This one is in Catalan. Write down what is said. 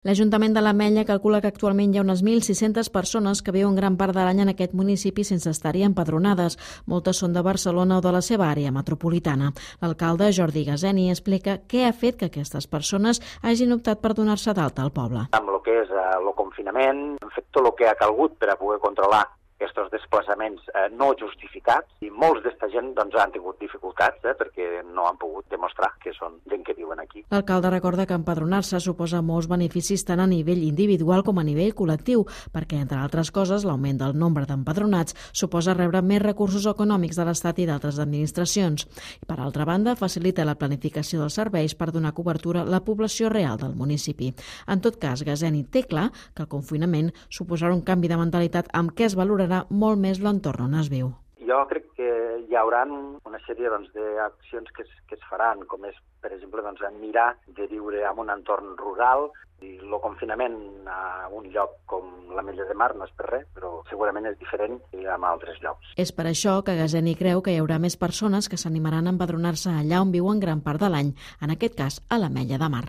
L'Ajuntament de l'Ametlla calcula que actualment hi ha unes 1.600 persones que viuen gran part de l'any en aquest municipi sense estar-hi empadronades. Moltes són de Barcelona o de la seva àrea metropolitana. L'alcalde Jordi Gaseni explica què ha fet que aquestes persones hagin optat per donar-se d'alta al poble. Amb el que és el confinament, hem fet tot el que ha calgut per a poder controlar aquests desplaçaments no justificats i molts d'esta gent han tingut dificultats perquè no han pogut demostrar que són gent que viuen aquí. L'alcalde recorda que empadronar-se suposa molts beneficis tant a nivell individual com a nivell col·lectiu, perquè, entre altres coses, l'augment del nombre d'empadronats suposa rebre més recursos econòmics de l'Estat i d'altres administracions. I, per altra banda, facilita la planificació dels serveis per donar cobertura a la població real del municipi. En tot cas, Gaseni té clar que el confinament suposarà un canvi de mentalitat amb què es valorarà molt més l'entorn on es viu. Jo crec que hi haurà una sèrie d'accions que es faran, com és, per exemple, mirar de viure en un entorn rural. I el confinament a un lloc com l'Ametlla de Mar no és per res, però segurament és diferent en altres llocs. És per això que Gaseni creu que hi haurà més persones que s'animaran a empadronar-se allà on viuen gran part de l'any, en aquest cas a l'Ametlla de Mar.